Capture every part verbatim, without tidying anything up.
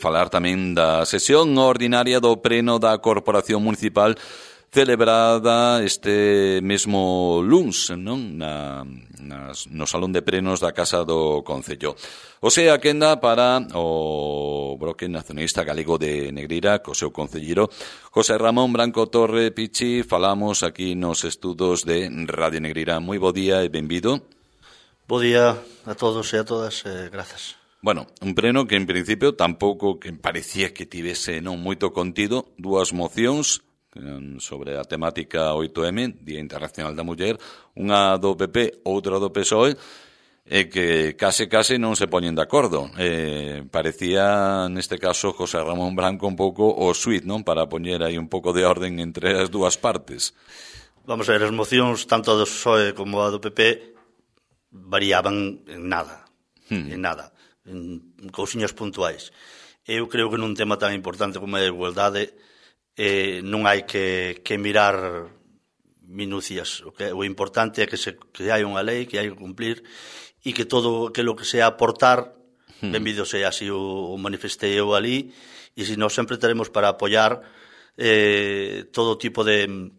falar tamén da sesión ordinaria do Pleno da Corporación Municipal celebrada este mesmo luns, non? Na, nas, no Salón de Plenos da Casa do Concello. O sea, quenda para o Bloque Nacionalista Galego de Negreira, co seu concelleiro José Ramón Branco Torre Pichi. Falamos aquí nos estudos de Radio Negreira. Moi bo día e benvido. Bo día a todos e a todas, eh, grazas. Bueno, un pleno que en principio tampouco que parecía que tivese non moito contido, dúas mocións sobre a temática oito eme, Día Internacional da Muller, unha do P P, outra do P S O E, e que case case non se poñen de acordo. Eh, parecía, neste caso, José Ramón Branco un pouco o suite, non? Para poñer aí un pouco de orden entre as dúas partes. Vamos a ver, as mocións, tanto do P S O E como a do P P, variaban en nada, hmm. en nada, en cousiñas puntuais. Eu creo que nun tema tan importante como a igualdade, Eh, non hai que, que mirar minucias. O, que, o importante é que, se, que hai unha lei que hai que cumplir e que todo que lo que sea aportar, hmm. benvido sea, así o, o manifestei eu ali, e se nós sempre teremos para apoiar eh, todo tipo de,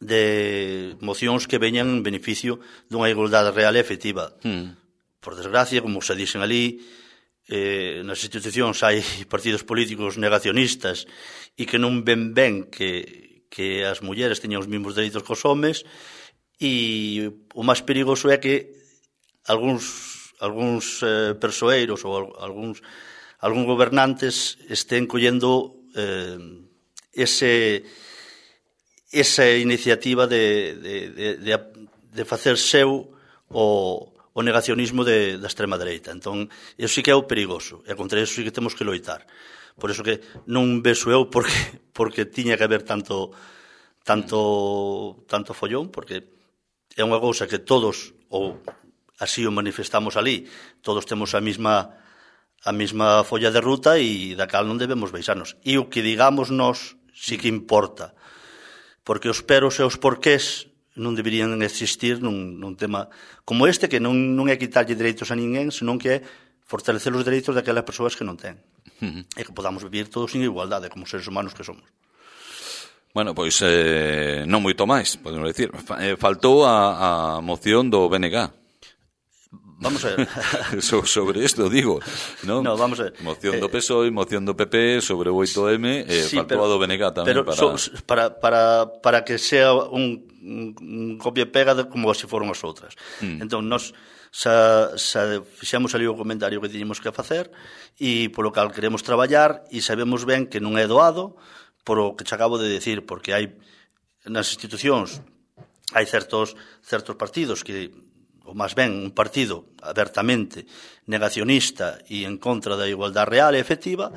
de mocións que veñan en beneficio dunha igualdade real e efectiva. Hmm. Por desgracia, como se dixen ali, Eh, nas institucións hai partidos políticos negacionistas e que non ven ben que, que as mulleres teñan os mesmos dereitos que os homes, e o máis perigoso é que algúns, algúns eh, persoeiros ou algúns, algúns gobernantes estén collendo eh, ese, esa iniciativa de, de, de, de, de facer seu o o negacionismo de, da extrema dereita. Entón, eso sí que é o perigoso, e contra eso sí que temos que loitar. Por eso que non vexo eu porque, porque tiña que haber tanto, tanto, tanto follón, porque é unha cousa que todos, ou así o manifestamos ali, todos temos a mesma, a mesma folla de ruta e da cal non debemos baixarnos. E o que digamos nós sí que importa, porque os peros e os porqués non deberían existir nun, nun tema como este, que non, non é quitarlle dereitos a ninguén, senón que é fortalecer os dereitos daquelas persoas que non ten. Uh-huh. E que podamos vivir todos en igualdade, como seres humanos que somos. Bueno, pois eh, non moito máis, podemos decir. Eh, faltou a, a moción do B N G. Vamos a ver. so, sobre isto, digo, non? No, vamos a ver. Moción do P S O E, moción do P P sobre o oito eme, eh, sí, faltou pero, a do B N G tamén. Pero para... So, para, para, para que sea un, un, un copia e pega de como se foron as outras. Mm. Entón, nós xa, xa fixemos ali o comentario que tiñemos que facer e polo cal queremos traballar e sabemos ben que non é doado por o que te acabo de decir, porque hai nas institucións hai certos, certos partidos que ou máis ben un partido abertamente negacionista e en contra da igualdade real e efectiva,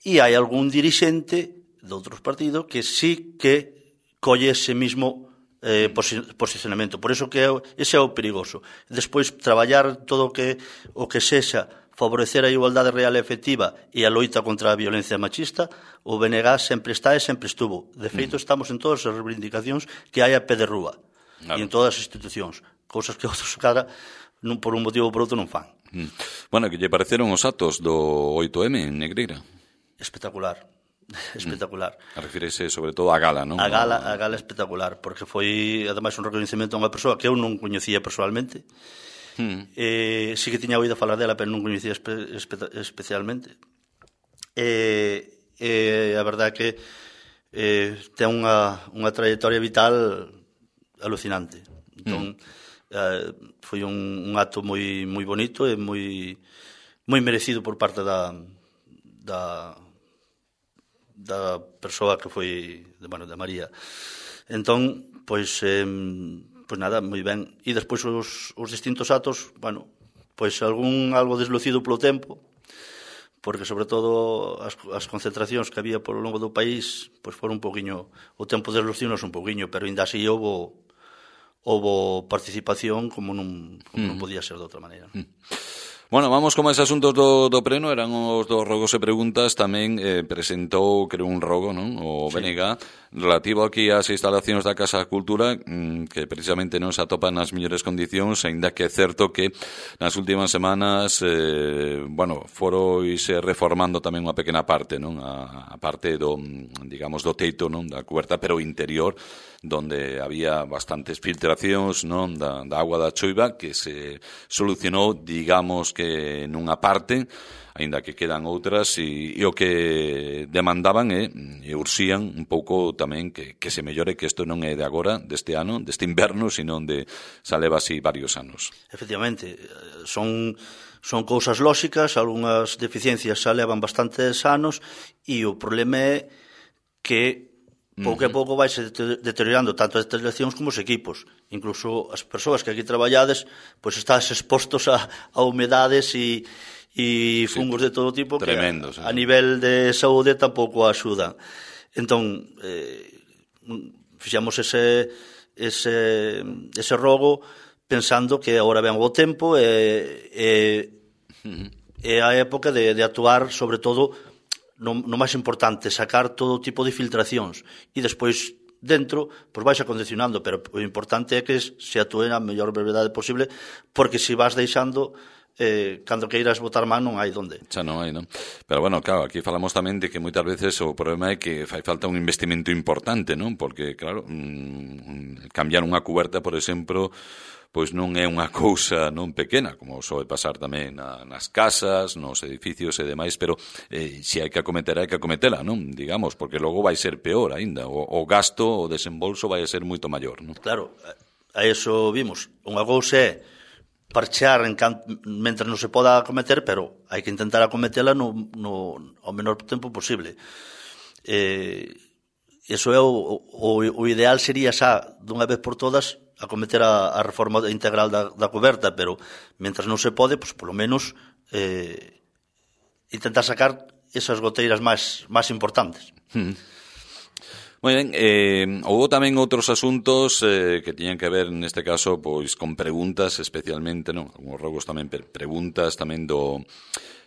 e hai algún dirixente de outros partidos que sí que colle ese mismo eh, posicionamento. Por iso que é, ese é o perigoso. Despois, traballar todo o que, o que sexa favorecer a igualdade real e efectiva e a loita contra a violencia machista, o B N G sempre está e sempre estuvo. De feito, estamos en todas as reivindicacións que hai a pé de rúa, claro, e en todas as institucións. Cousas que outros cara non por un motivo ou por outro non fan. Mm. Bueno, que lle pareceron os atos do oito eme en Negreira? Espectacular, espectacular. Mm. Refírese sobre todo á gala, non? A gala, a gala espectacular, porque foi ademais un reconhecemento a unha persoa que eu non coñecía personalmente. Mm. Eh, sí que tiña oído falar dela, pero non coñecía espe, espe, especialmente. Eh, eh, a verdade é que eh, ten unha, unha trayectoria vital alucinante. Entón, mm. Uh, foi un, un acto moi moi bonito e moi moi merecido por parte da da da persoa que foi de, bueno, de María. Entón, pois eh, pois nada, moi ben. E despois os, os distintos actos, bueno, pois algún algo deslucido polo tempo, porque sobre todo as, as concentracións que había polo longo do país, pois foron un poquinho, o tempo desluciunos un poquinho, pero ainda así houbo houbo participación como non, como mm. non podía ser de outra maneira. Mm. Bueno, vamos con máis asuntos do, do pleno. Eran os dos rogos e preguntas. Tamén eh, presentou, creo, un rogo, non? O sí. B N G relativo aquí ás instalacións da Casa da Cultura, que precisamente non se atopan nas mellores condicións, aínda que é certo que nas últimas semanas eh, bueno, foroise reformando tamén unha pequena parte, non? A, a parte do, digamos, do teito, non? Da cuberta, pero interior, donde había bastantes filtracións, non? Da, da agua da choiva, que se solucionou, digamos que nunha parte, aínda que quedan outras, e, e o que demandaban e, e ursían un pouco tamén que, que se mellore, que isto non é de agora, deste ano, deste inverno, sino de xa leva así varios anos. Efectivamente, son, son cousas lóxicas, algunhas deficiencias xa levan bastantes anos, e o problema é que pouco a pouco vai se deteriorando tanto as instalacións como os equipos. Incluso as persoas que aquí traballades, pois estás expostos a, a humedades e e fungos sí, de todo tipo tremendo, que sí. a nivel de saúde tampouco axudan. Entón, eh, fixamos ese, ese, ese rogo pensando que agora ven o tempo e, e, uh-huh. e a época de, de actuar, sobre todo, no, no máis importante, sacar todo tipo de filtracións e despois dentro, pois vais acondicionando, pero o importante é que se atúe na mellor brevedade posible, porque se vas deixando eh, cando queiras botar man non hai donde. Xa non hai, non? Pero bueno, claro, aquí falamos tamén de que moitas veces o problema é que fai falta un investimento importante, non? Porque, claro, mmm, cambiar unha cuberta, por exemplo, pois non é unha cousa non pequena, como soe pasar tamén na, nas casas, nos edificios e demais, pero eh, se hai que acometer, hai que acometela, non? Digamos, porque logo vai ser peor aínda, o, o gasto, o desembolso vai ser moito maior, non? Claro, a eso vimos. Unha cousa é parchear en can... mentre non se poda acometer, pero hai que intentar acometela no, no, ao menor tempo posible. Eh, eso é o, o, o ideal sería xa, dunha vez por todas, acometer a, a reforma integral da, da coberta, pero mentras non se pode, pues, polo menos eh, intentar sacar esas goteiras máis, máis importantes. Hmm. Moi ben, eh, houve tamén outros asuntos eh, que tiñan que ver, neste caso, pois con preguntas, especialmente, non? Alguns rogos tamén, preguntas tamén do,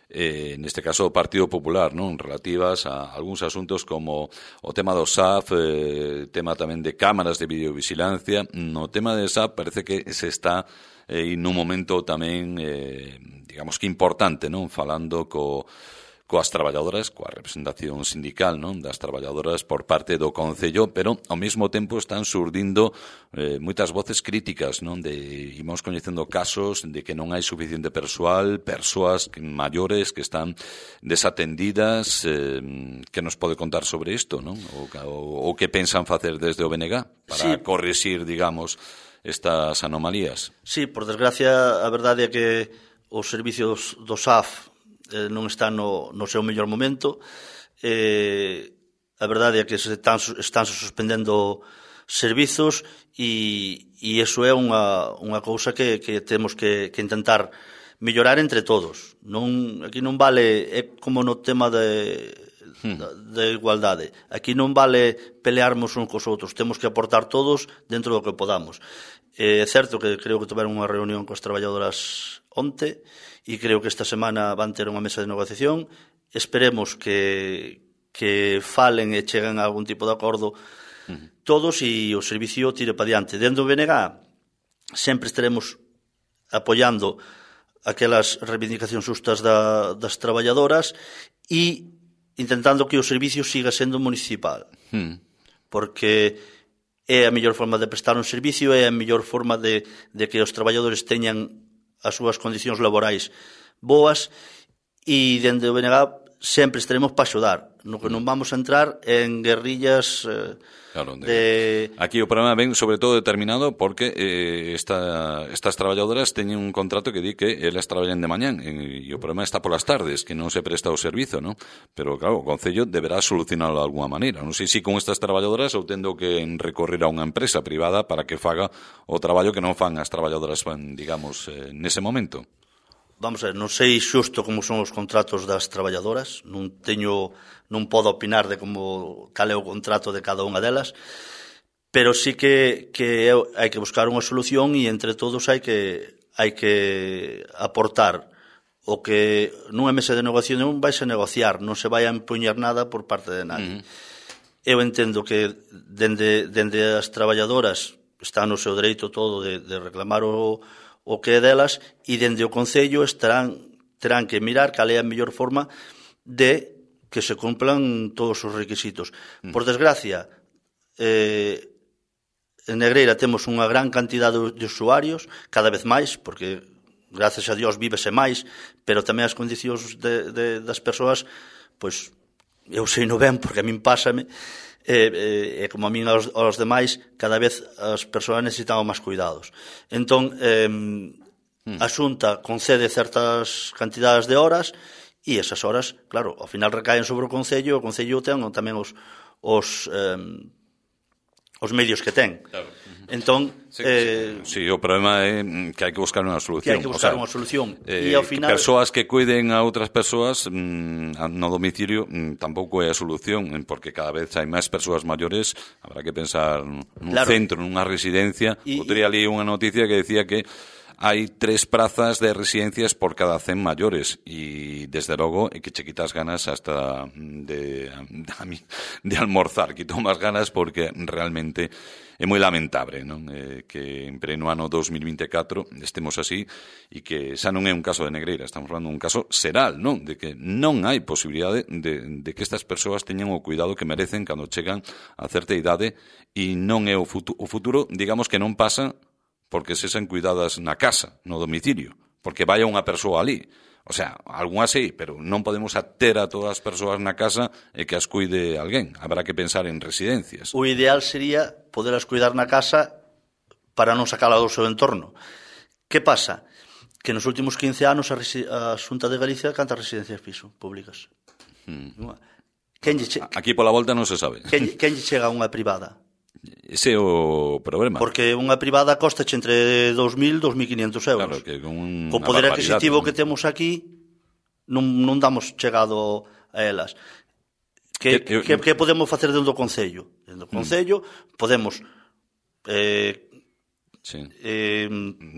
eh, neste caso, do Partido Popular, non? Relativas a algúns asuntos como o tema do S A F, eh, tema tamén de cámaras de videovigilancia. No tema de S A F parece que se está eh, nun momento tamén, eh, digamos que importante, non? Falando co... coas traballadoras, coa representación sindical, non, das traballadoras por parte do Concello, pero ao mesmo tempo están surdindo eh, moitas voces críticas, non, de imos coñecendo casos de que non hai suficiente persoal, persoas maiores que están desatendidas, eh, que nos pode contar sobre isto, non, o, o, o que pensan facer desde o B N G para sí. corrixir, digamos, estas anomalías. Sí, por desgracia, a verdade é que os servicios do S A F Eh, non está no, no seu mellor momento. Eh, a verdade é que se están, están suspendendo servizos e, e iso é unha, unha cousa que, que temos que, que intentar mellorar entre todos. Non, aquí non vale, é como no tema de, hmm. de, de igualdade. Aquí non vale pelearmos uns cos outros, temos que aportar todos dentro do que podamos. Eh, é certo que creo que tiveron unha reunión coas traballadoras onte, e creo que esta semana van ter unha mesa de negociación. Esperemos que, que falen e cheguen a algún tipo de acordo uh-huh. todos e o servicio tire para diante. Dentro do B N G sempre estaremos apoiando aquelas reivindicacións justas da, das traballadoras e intentando que o servicio siga sendo municipal. Uh-huh. Porque é a mellor forma de prestar un servicio, é a mellor forma de, de que os traballadores teñan as súas condicións laborais boas e dende o B N G sempre estaremos para axudar. No que non vamos a entrar en guerrillas eh, claro, de... de... Aquí o problema ven sobre todo determinado porque eh, esta, estas traballadoras teñen un contrato que di que elas traballan de mañán e, e o problema está polas tardes, que non se presta o servizo, ¿no? Pero claro, o Concello deberá solucionarlo de alguma maneira. Non sei se con estas traballadoras ou tendo que recorrer a unha empresa privada para que faga o traballo que non fan as traballadoras, digamos, eh, nese momento. Vamos a ver, non sei xusto como son os contratos das traballadoras, non teño, non podo opinar de como cal é o contrato de cada unha delas, pero sí que, que hai que buscar unha solución e entre todos hai que hai que aportar o que nunha mesa de negociación vai se negociar, non se vai a empuñar nada por parte de nadie. Uh-huh. eu entendo que dende, dende as traballadoras está no seu dereito todo de, de reclamar o, o que é delas, e dende o Concello estarán, terán que mirar cal é a mellor forma de que se cumplan todos os requisitos. Por desgracia, eh, en Negreira temos unha gran cantidad de usuarios, cada vez máis, porque gracias a Dios vívese máis, pero tamén as condicións de, de, das persoas, pois, eu sei no ben, porque a min pásame, e, e como a min aos, aos demais, cada vez as persoas necesitamos máis cuidados. Entón, eh, mm. a Xunta concede certas cantidades de horas, e esas horas, claro, ao final recaen sobre o Concello, o Concello ten tamén os, os, eh, os medios que ten. Claro. Entón, sí, eh, sí, o problema é que hai que buscar unha solución. Que hai que buscar o sea, unha solución. Eh, e ao final persoas que cuiden a outras persoas mmm, no domicilio mmm, tampouco é a solución, porque cada vez hai máis persoas maiores, habrá que pensar nun claro. centro, nunha residencia. Outro día li unha noticia que decía que hai tres prazas de residencias por cada cen maiores, e desde logo é que che quitas ganas hasta de, de, de almorzar, quito máis ganas, porque realmente é moi lamentable, non? Eh, que en pleno ano dos mil vinte e catro estemos así, e que xa non é un caso de Negreira, estamos falando un caso xeral, non? De que non hai posibilidade de, de que estas persoas teñan o cuidado que merecen cando chegan a certa idade, e non é o futuro, o futuro, digamos que non pasa porque sesen cuidadas na casa, no domicilio, porque vai unha persoa ali. O sea, algunhas sí, pero non podemos ater a todas as persoas na casa e que as cuide alguén. Habrá que pensar en residencias. O ideal sería poderlas cuidar na casa para non sacala do seu entorno. Que pasa? Que nos últimos quince anos a, a Xunta de Galicia canta residencias fixo, públicas. Hmm. Quen che... Aquí pola volta non se sabe. Quen, quen lle chega a unha privada? Ese é o problema. Porque unha privada costa entre dous mil e dous mil quinientos euros. Claro, que con un, co poder adquisitivo que temos aquí non, non damos chegado a elas. Que, eu, que, que podemos facer dentro do Concello? Dentro do Concello mm. podemos eh, sí. eh,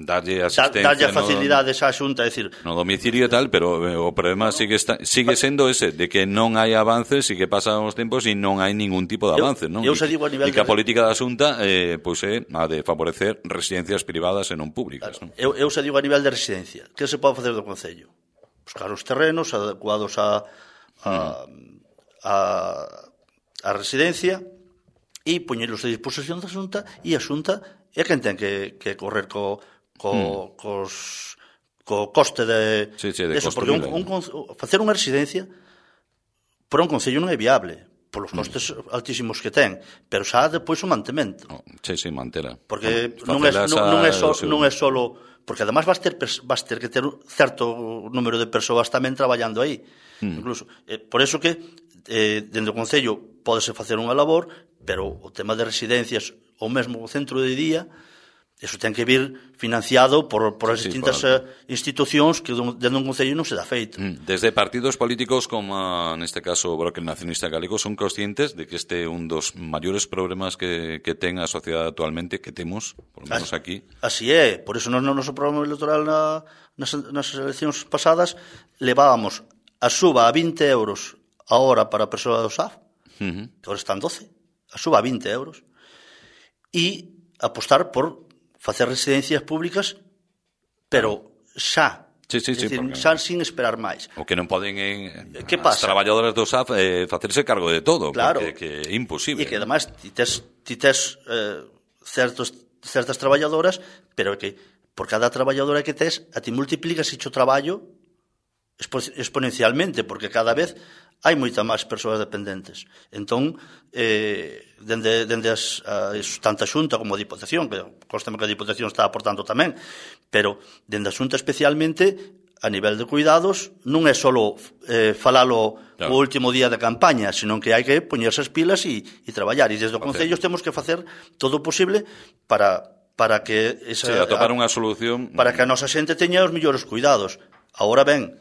darlle asistencia, darlle facilidades á Xunta, é dicir, no domicilio e tal, pero o problema sigue está, sigue sendo ese, de que non hai avances e que pasan os tempos e non hai ningún tipo de avance, non? Eu se digo a nivel e que a política da Xunta eh, pois é a de favorecer residencias privadas e non públicas, claro, non? Eu, eu se digo a nivel de residencia, que se pode facer do Concello? Buscar os terrenos adecuados a a, a, a residencia e poñelos a disposición da Xunta, e a Xunta é quen ten que, que correr co, co, mm. cos, co coste de, sí, sí, de eso, porque un, un, facer unha residencia por un Concello non é viable polos costes mm. altísimos que ten, pero xa depois o mantemento. Oh, sí, sí, mantela. Porque non, non, é, non, non, é so, non é solo, porque además vas ter vas ter que ter un certo número de persoas tamén traballando aí. Mm. Incluso, eh, por eso que eh, dentro do Concello pódese facer unha labor, pero o tema de residencias ou mesmo o centro de día, eso ten que vir financiado por, por as sí, distintas por... institucións que dentro dun Concello non se dá feito. Desde partidos políticos como neste caso o Bloque Nacionalista Galego son conscientes de que este é un dos maiores problemas que, que ten a sociedade actualmente, que temos, por lo menos aquí. Así é, por eso no noso programa electoral na, nas, nas eleccións pasadas levábamos a suba a vinte euros a hora para a persoa do S A F, uh-huh. que agora están doce, a suba a vinte euros, e apostar por facer residencias públicas, pero xa. Sí, sí, sí, decir, porque... xa sin esperar máis. O que non poden en, que pasa? As traballadoras do S A F eh, facerse cargo de todo, claro, porque que é imposible. E que además ti tes, ti tes eh, certos, certas traballadoras, pero que por cada traballadora que tes, a ti multiplicas o traballo exponencialmente, porque cada vez hai moita máis persoas dependentes. Entón, eh, dende, dende as, as, tanto a Xunta como a Diputación, que constame que a Diputación está aportando tamén, pero dende a Xunta especialmente, a nivel de cuidados, non é só eh, falalo claro. o último día de campaña, senón que hai que poñerse as pilas e, e traballar. E desde o Concello temos que facer todo o posible para, para que esa, sí, atopar unha solución, para que a nosa xente teña os mellores cuidados. Agora ben,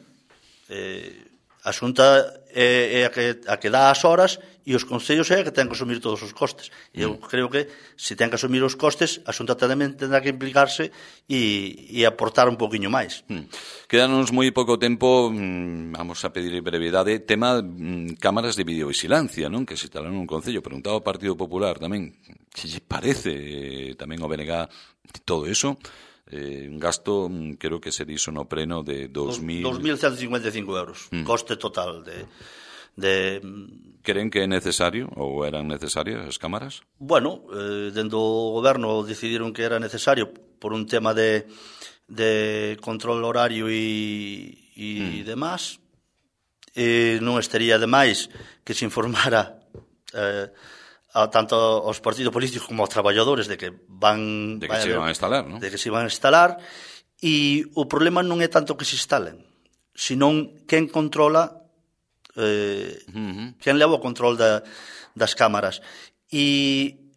eh, A Xunta é, é a, que, a que dá as horas e os concellos é a que ten que asumir todos os costes. E eu mm. creo que se ten que asumir os costes, a Xunta tamén tendrá que implicarse e, e aportar un poquinho máis. Mm. Quedanos moi pouco tempo, mm, vamos a pedir brevidade, tema mm, cámaras de videovigilancia, non? Que se instalaron un concello. Preguntaba ao Partido Popular tamén, que lle parece eh, tamén o B N G todo eso. Eh, un gasto, creo que se dixo no pleno de dos mil... dos mil ciento cincuenta e cinco euros, mm. coste total de, de... Creen que é necesario ou eran necesarias as cámaras? Bueno, eh, dentro do goberno decidiron que era necesario por un tema de, de control horario e, e mm. demás. E non estaría demais que se informara... Eh, a tanto aos partidos políticos como aos traballadores de que van de que se van a instalar, ¿no? De que se van a instalar, e o problema non é tanto que se instalen, senón quen controla eh, uh-huh. quen leva o control da, das cámaras. E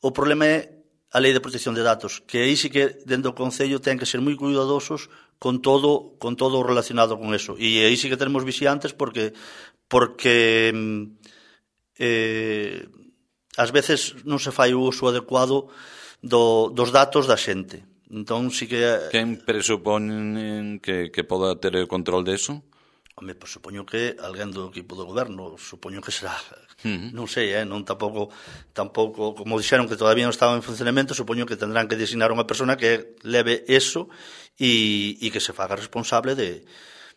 o problema é a Lei de Protección de Datos, que aí sí que dentro do Concello ten que ser moi cuidadosos con todo con todo relacionado con eso. E aí sí que tenemos vixiantes porque porque eh ás veces non se fai o uso adecuado do, dos datos da xente. Entón, sí que... Quen presupón que, que poda ter o control deso? Home, pues, supoño que alguén do equipo do goberno, supoño que será... Uh-huh. Non sei, eh? non tampouco, tampouco, como dixeron que todavía non estaba en funcionamento, supoño que tendrán que designar unha persona que leve eso e, e que se faga responsable de,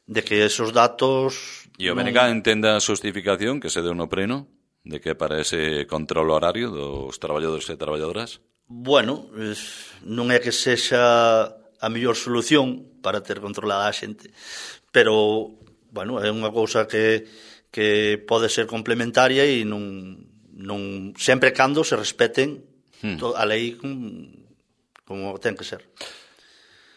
de que esos datos... E o B N G non... entenda a justificación que se deu no pleno? De que para ese control horario dos traballadores e traballadoras? Bueno, non é que sexa a mellor solución para ter controlada a xente, pero, bueno, é unha cousa que, que pode ser complementaria e non, non sempre cando se respeten hmm. a lei como, como ten que ser.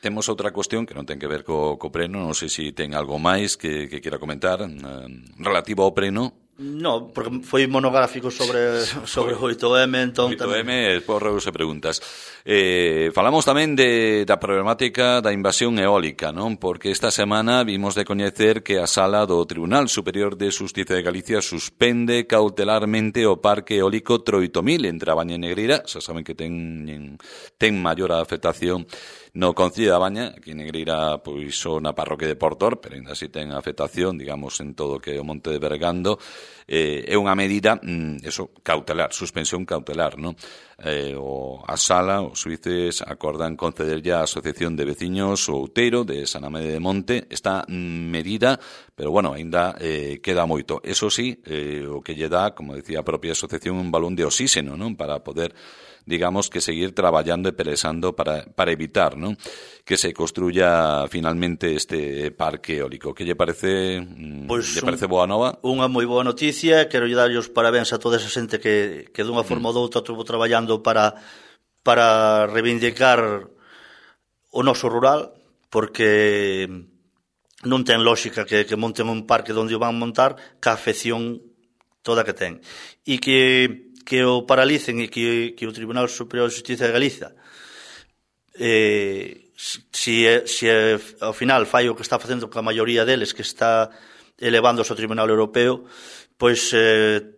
Temos outra cuestión que non ten que ver co, co pleno, non sei se ten algo máis que, que quera comentar, eh, relativo ao pleno. No, porque foi monográfico sobre sobre o oito eme, entón oito eme, porros e preguntas. Eh, falamos tamén de da problemática da invasión eólica, non? Porque esta semana vimos de coñecer que a Sala do Tribunal Superior de Xustiza de Galicia suspende cautelarmente o parque eólico Troitomil entre a Baña e Negreira. Xa saben que ten ten maior afectación no Concello da Baña, aquí en Negreira, pois só na parroquia de Portor, pero ainda así ten afectación, digamos, en todo o que é o Monte de Bergando. Eh, é unha medida, mm, eso, cautelar, suspensión cautelar, non? Eh, o, a sala, os xuíces acordan concederlle á Asociación de Veciños o Outeiro de San Amede de Monte esta mm, medida, pero bueno, ainda eh, queda moito. Eso sí, eh, o que lle dá, como decía a propia asociación, un balón de oxígeno, non? Para poder, digamos, que seguir traballando e pelesando para, para evitar, non? Que se construya finalmente este parque eólico. Que lle parece, pois lle parece boa nova? Unha moi boa noticia, quero lle darlle os parabéns a toda esa xente que, que dunha forma mm. ou doutra estuvo traballando para, para reivindicar o noso rural, porque non ten lógica que, que monten un parque onde o van montar ca afección toda que ten. E que que o paralicen e que, que o Tribunal Superior de Xustiza de Galicia eh, si, si ao final fai o que está facendo coa maioría deles, que está elevando ao Tribunal Europeo, pois eh,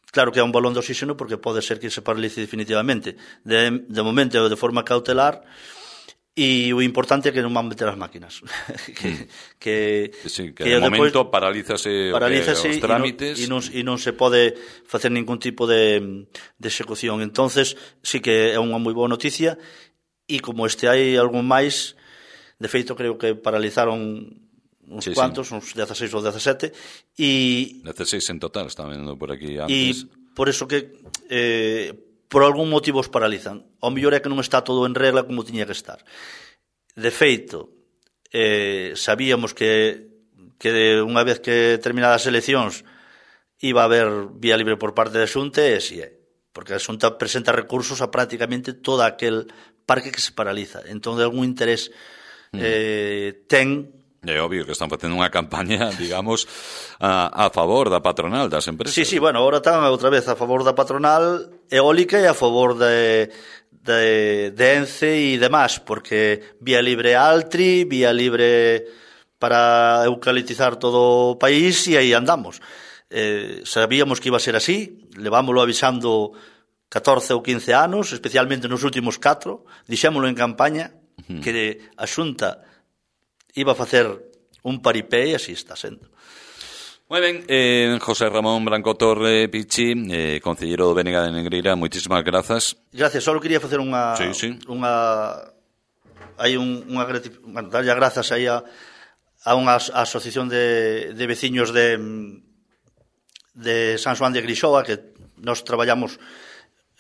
claro que é un balón de oxígeno, porque pode ser que se paralice definitivamente. De, de momento de forma cautelar, e o importante é que non van meter as máquinas. que, que, sí, que, que de momento paralízase, paralízase os trámites e non, e, non, e non se pode facer ningún tipo de, de execución. Entonces sí que é unha moi boa noticia, e como este hai algún máis, de feito creo que paralizaron uns sí, cuantos, sí. uns dieciséis ou diecisiete, e dieciséis en total, estaba vendo por aquí antes. E por eso que eh, por algún motivo os paralizan. O mellor é que non está todo en regla como tiña que estar. De feito, eh, sabíamos que, que unha vez que terminadas as eleccións iba a haber vía libre por parte da Xunta, e así é. Porque a Xunta presenta recursos a prácticamente todo aquel parque que se paraliza. Entón, de algún interés eh, ten... É obvio que están facendo unha campaña, digamos, a, a favor da patronal das empresas. Sí, sí, bueno, agora están outra vez a favor da patronal eólica e a favor de, de, de ENCE e demás, porque vía libre Altri, vía libre para eucalitizar todo o país e aí andamos. Eh, sabíamos que iba a ser así, levámoslo avisando catorce ou quince anos, especialmente nos últimos catro, dixémoslo en campaña, uh-huh. que a Xunta iba a facer un paripé e así está sendo. Moi ben, eh, José Ramón Branco Torre Pichi, eh, concelleiro do Bénega de Negreira, moitísimas grazas. Gracias, só quería facer unha... Sí, sí. unha hai un, unha bueno, darlle grazas aí a, a unha asociación de, de veciños de de San Xoán de Grixoa, que nós traballamos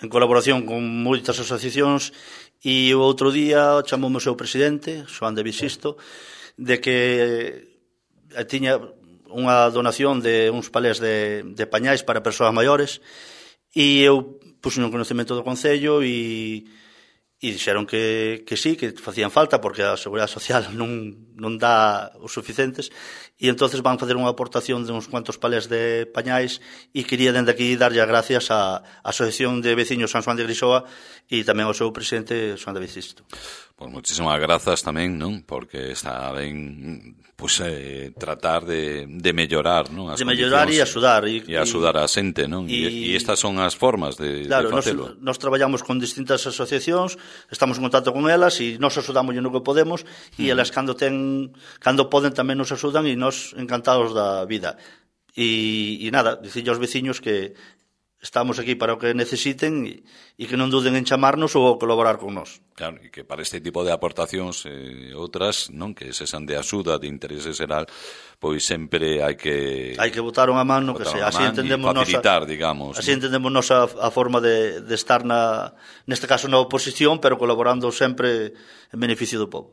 en colaboración con moitas asociacións, e o outro día chamoume o seu presidente, Xoán de Bisisto, de que tiña unha donación de uns palés de, de pañais para persoas maiores, e eu puxo no conocemento do Concello e, e dixeron que, que sí, que facían falta porque a Seguridade Social non, non dá os suficientes, e entonces van facer unha aportación de uns cuantos palés de pañais, e quería dende aquí darlle as gracias á Asociación de Veciños San Xoán de Grixoa e tamén ao seu presidente Xoán de Bisisto. Pois moitísimas grazas tamén, non? Porque está ben, pues, eh, tratar de, de mellorar, non? As de mellorar e axudar. E, e axudar a xente, non? E, e estas son as formas de, claro, de facelo. Claro, nos traballamos con distintas asociacións, estamos en contacto con elas e nos axudamos no que podemos, e elas cando ten, cando poden tamén nos axudan e nos encantados da vida. E, e nada, dicille aos veciños que estamos aquí para o que necesiten e, e que non duden en chamarnos ou colaborar con nós. Claro, e que para este tipo de aportacións e eh, outras, non, que sexan de axuda, de interese xeral, pois sempre hai que hai que botar unha man no que sea, así entendemos facilitar, nosa, digamos. Así ¿no? entendemos nosa a forma de, de estar na neste caso na oposición, pero colaborando sempre en beneficio do povo.